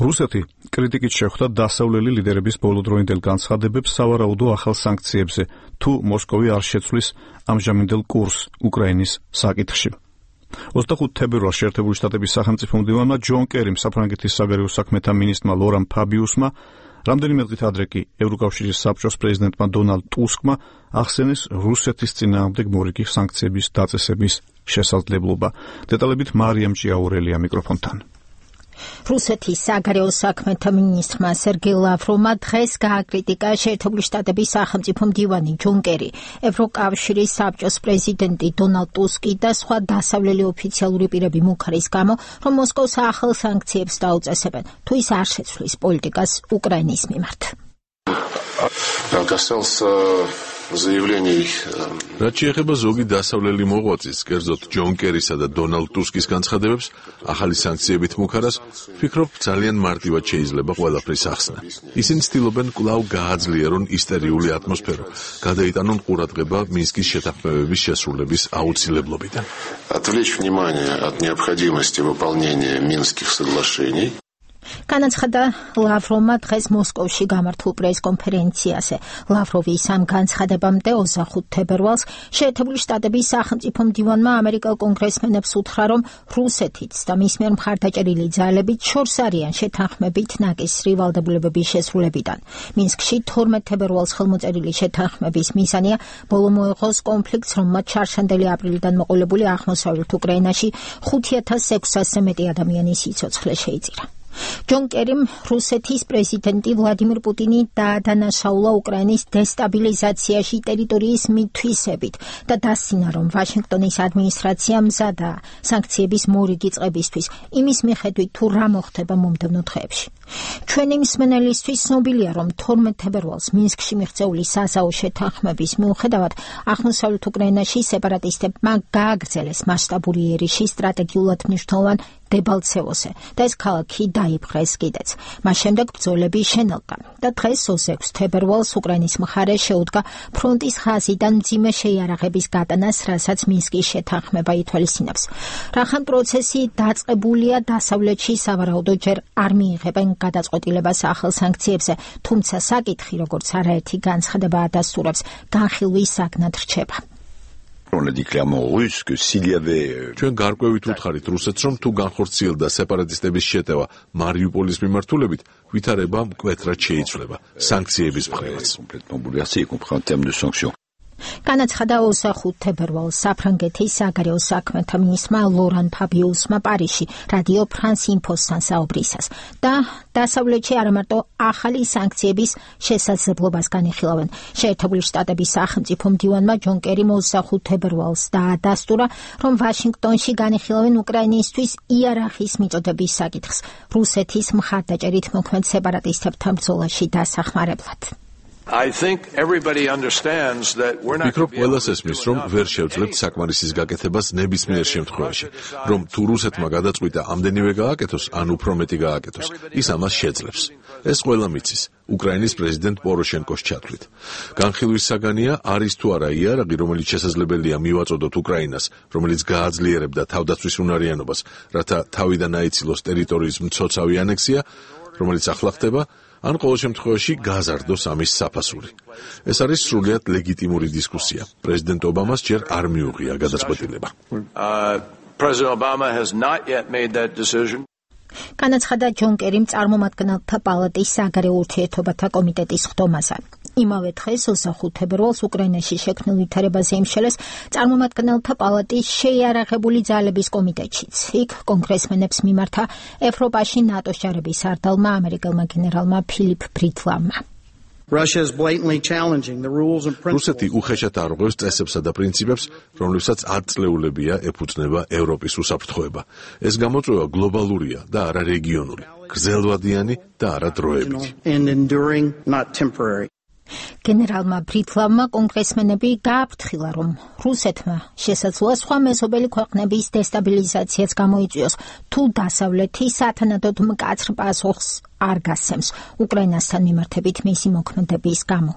რუსეთი კრიტიკით შეხვდა დასავლელი ლიდერების ბოლოდროინდელ განცხადებებს სავარაუდო ახალ სანქციებზე, თუ მოსკოვი არ შეცვლის ამჟამინდელ კურსს უკრაინის საკითხში. 25 თებერვალს შეერთებული შტატების სახელმწიფო მდივანმა ჯონ კერიმ საფრანგეთის საგარეო საქმეთა მინისტრმა ლორან ფაბიუსმა რამდენიმე დღით ადრე კი ევროკავშირის საბჭოს პრეზიდენტმა დონალდ ტუსკმა ახსენეს რუსეთის წინააღმდეგ მორიგი სანქციების დაწესების შესაძლებლობა. დეტალებით მარიამ ჭიაურელია მიკროფონთან. რუსეთის საგარეო საქმეთა მინისტრმა სერგეი ლავროვმა დღეს გააკრიტიკა შეერთებული შტატების სახელმწიფო მდივანი ჯონ კერი, ევროკავშირის საბჭოს პრეზიდენტი დონალდ ტუსკი და სხვა დასავლელი ოფიციალური პირები მუქარის გამო, რომ მოსკოვს ახალ სანქციებს დაუწესებენ, თუ ის არ შეცვლის პოლიტიკას უკრაინის მიმართ. რაც შეეხება ზოგი დასავლელი მოღვაწის, კერძოდ ჯონ კერისა და დონალდ ტუსკის განცხადებებს, ახალი სანქციებით მუქარას, ვფიქრობ, ძალიან მარტივად შეიძლება ყველაფრის ახსნა. ისინი ცდილობენ კვლავ გააძლიერონ ისტერიული ატმოსფერო, გადაიტანონ ყურადღება მინსკის შეთანხმებების შესრულების აუცილებლობიდან. Отвлечь внимание от необходимости выполнения Минских соглашений. განაცხადა ლავროვმა დღეს მოსკოვში გამართულ პრესკონფერენციაზე. ლავროვის ამ განცხადებამდე 25 თებერვალს შეერთებული შტატების სახელმწიფო მდივანმა ამერიკელ კონგრესმენებს უთხრა, რომ რუსეთიც და მის მიერ მხარდაჭერილი ძალებით შორს არიან შეთანხმებით ნაკისრი ვალდებულებების შესრულებიდან. მინსკში 12 თებერვალს ხელმოწერილი შეთანხმების მიზანია ბოლო მოეღოს კონფლიქტს, რომელმაც ჩარშანდელი აპრილიდან მოყოლებული აღმოსავლეთ უკრაინაში 5600-ზე მეტი ადამიანის სიცოცხლე შეიწირა. ჯონ კერიმ რუსეთის პრეზიდენტი ვლადიმირ პუტინი დაადანაშაულა უკრაინის დესტაბილიზაციაში ტერიტორიის მითვისებით და დასცინა, რომ ვაშინგტონის ადმინისტრაცია მზადაა სანქციების მორიგი წყებისთვის, იმის მიხედვით, თუ რა მოხდება მომდევნო დღეებში. ჩვენი მსმენელისთვის ცნობილია, რომ 12 თებერვალს მინსკში მიღწეული საზავო შეთანხმების მიუხედავად აღმოსავლეთ უკრაინაში სეპარატისტებმა გააგრძელეს მასშტაბური ერიში სტრატეგიულად მნიშვნელოვან დებალცევოზე და ეს ქალაქი დაიპყრეს კიდეც. მას შემდეგ ბრძოლები შენელდა და დღეს 26 თებერვალს უკრაინის მხარე შეუდგა ფრონტის ხაზიდან მძიმე შეიარაღების გატანას, რასაც მინსკის შეთანხმება ითვალისწინებს. რახან პროცესი დაწყებულია დასავლეთში, სავარაუდოდ ჯერ არ მიიღებენ გადაწყვეტილებას ახალ სანქციებზე, თუმცა საკითხი, როგორც არაერთი განცხადება ადასტურებს, განხილვის საგნად რჩება. On a dit clairement russe que s'il y avait ჩვენ გარკვევით უთხარით რუსეთს, რომ თუ განხორციელდა სეპარატისტების შეტევა მარიუპოლის მიმართულებით, ვითარება მკვეთრად შეიცვლება სანქციების მხრივაც. complètement bouleversé, y compris en termes de sanctions. განაცხადა 25 თებერვალს საფრანგეთის საგარეო საქმეთა მინისტრმა ლორან ფაბიუსმა პარიზში რადიო ფრანს ინფოსთან საუბრისას და დასავლეთში არამარტო ახალი სანქციების შესაძლებლობას განიხილავენ. შეერთებული შტატების სახელმწიფო მდივანმა ჯონ კერიმ 25 თებერვალს დაადასტურა, რომ ვაშინგტონში განიხილავენ უკრაინისთვის იარაღის მიწოდების საკითხს რუსეთის მხარდაჭერით მოქმედ სეპარატისტებთან ბრძოლაში დასახმარებლად. ვფიქრობ, ყველას ესმის, რომ ვერ შევძლებთ საკმარისის გაკეთებას ნებისმიერ შემთხვევაში, რომ თუ რუსეთმა გადაწყვიტა ამდენივე გააკეთოს, ან უფრო მეტი გააკეთოს, ის ამას შეძლებს. ეს ყველა მიცის, უკრაინის პრეზიდენტ პოროშენკოს ჩათვლით. განხილვის საგანია არის თუ არა იარაღი, რომელიც შესაძლებელია მივაწოდოთ უკრაინას, რომელიც გააძლიერებდა თავდაცვის უნარიანობას, რათა თავიდან აიცილოს ტერიტორიის მცოცავი ანექსია, რომელიც ახლა ხდება, ან ყოველ შემთხვევაში გაზარდოს ამის საფასური. ეს არის სრულიად ლეგიტიმური დისკუსია. პრეზიდენტ ობამას ჯერ არ მიუღია გადაწყვეტილება. განაცხადა ჯონ კერიმ წარმომადგენელთა პალატის საგარეო ურთიერთობათა კომიტეტის ხდომაზე. იმავე დღეს 25 თებერვალს უკრაინაში შექმნილ ვითარებაზე იმშელეს წარმომადგენელთა პალატის შეიარაღებული ძალების კომიტეტშიც. იქ კონგრესმენებს მიმართა ევროპაში ნატოს ჯარების სარდალმა ამერიკელმა გენერალმა ფილიპ ბრიტლამმა. რუსეთი უხეშად არღვევს წესებსა და პრინციპებს, რომლებსაც ათწლეულებია ეფუძნება ევროპის უსაფრთხოება. ეს გამოწვევა გლობალურია და არა რეგიონული, გრძელვადიანი და არა დროებითი. გენერალმა ბრიტლამმა კონგრესმენები გააფრთხილა, რომ რუსეთმა შესაძლოა სხვა მეზობელი ქვეყნების დესტაბილიზაციაც გამოიწვიოს, თუ დასავლეთი სათანადოდ მკაცრ პასუხს არ გასცემს უკრაინასთან მიმართებით მისი მოქმედების გამო.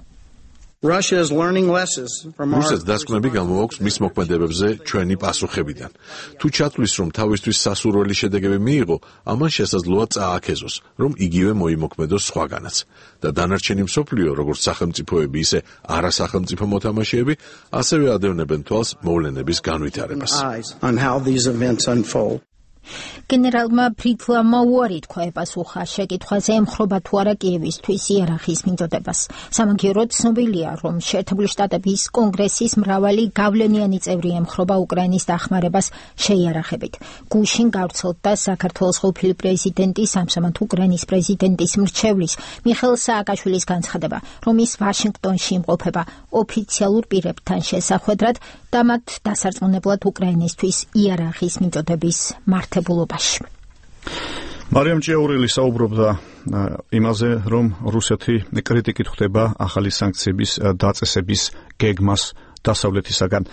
რუსეთს დასკვნები გამოაქვს მის მოქმედებებზე ჩვენი პასუხებიდან. თუ ჩათვლის, რომ თავისთვის სასურველი შედეგები მიიღო, ამან შესაძლოა წააქეზოს, რომ იგივე მოიმოქმედოს სხვაგანაც. და დანარჩენი მსოფლიო, როგორც სახელმწიფოები, ისე არასახელმწიფო მოთამაშეები, ასევე ადევნებენ თვალს მოვლენების განვითარებას. გენერალმა ფრიდლამმა უარი თქვა ეპასუხა შეკითხვაზე ემხრობა თუ არა კიევისთვის იერარქიის მიწოდებას. სამაგიეროდ ცნობილია, რომ შეერთებული შტატების კონგრესის მრავალი გავლენიანი წევრი ემხრობა უკრაინის დახმარებას შეიარაღებით. გუშინ გავრცელდა საქართველოს ყოფილი პრეზიდენტის, ამჟამად უკრაინის პრეზიდენტის მრჩევლის მიხეილ სააკაშვილის განცხადება, რომ ის ვაშინგტონში იმყოფება ოფიციალურ პირებთან შესახვედრად და მათ დასარწმუნებლად უკრაინისთვის იერარქიის მიწოდების მართებულობაში. მარიამ ჭიაურელი საუბრობდა იმაზე, რომ რუსეთი კრიტიკით ხვდება ახალი სანქციების დაწესების გეგმას დასავლეთისაგან.